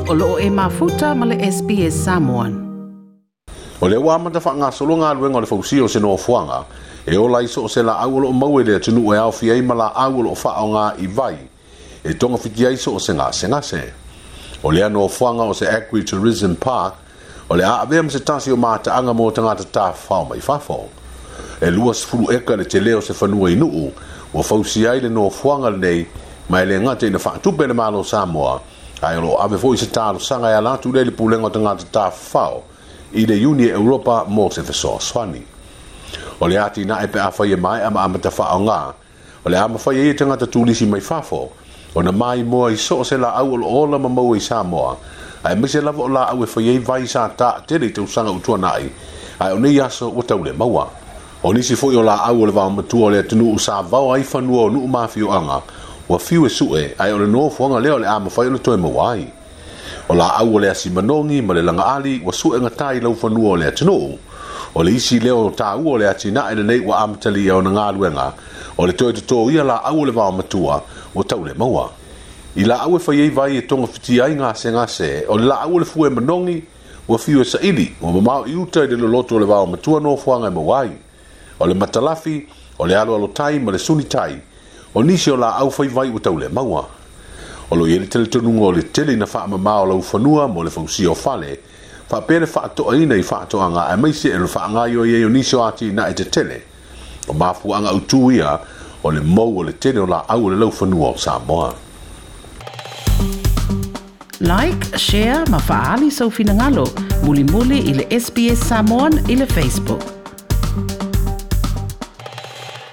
O loo e mafuta ma le SBS Samoan. O lea ua amata faagasolo galuega o le fausia o se nofoaga e ola ai so o se laau o loo maua i le atunuu e aofia ai ma laau o loo faaaoga i vai e togafiti ai so o se gasegase. O lea nofoaga o se Agritourism Park o le a avea ma se tasi o mataaga mo tagata tafafao mai fafo. E 20 eka le tele o se fanua i Nuu ua fausia ai le nofoaga lenei, ma e le gata ina faatupe e le Malo o Samoa, ae o lo o ave foi se talosaga e ala atu lea i le Pulega o Tagata Tafafao i le Iuni e Europa mo se fesoasoani. O le atinae pe afai e maea ma amata faaaoga, o le a mafai ai e tagata turisi mai fafo ona maimoa i so o se laau o lo o ola ma maua i Samoa, aemaise lava o laau e fai ai vai sa taatele i tausaga ua tuanai, ae o nei aso ua tau le maua. O nisi foi o laau o le vaomatua o le atunuu sa vao ai fanua o nuu ma afioaga, ua fiu e sue, ae o le nofoaga lea o le a mafai ona toe maua ai. O laau o le asi manogi ma le lagaali ua suegata i laufanua o le atunuu. O le isi lea o taua o le atinae lenei ua amatalia ona galuega, o le toe totoia laau o le vaomatua ua tau le maua. I laau e fai ai vai e togafitia ai gasegase, o le laau o le fue manogi ua fiu e saili, ua mamao i uta i le loloto o le vaomatua nofoaga e maua ai. O le matalafi, o le aloalotai ma le sunitai, o nisi o laau fai vai ua tau le maua. O lo o i ai le talitonuga o le tele ina faamama o laufanua mo le fausia o fale, faapea le faatoaina i faatoaga aemaise o le faagaoioi ai o nisi o atinae tetele. O mafuaaga autū ia o le mou o le tele o laau o le laufanua o Samoa. Like, share ma faaali sou finagalo mulimuli i le SBS Samoan i le Facebook.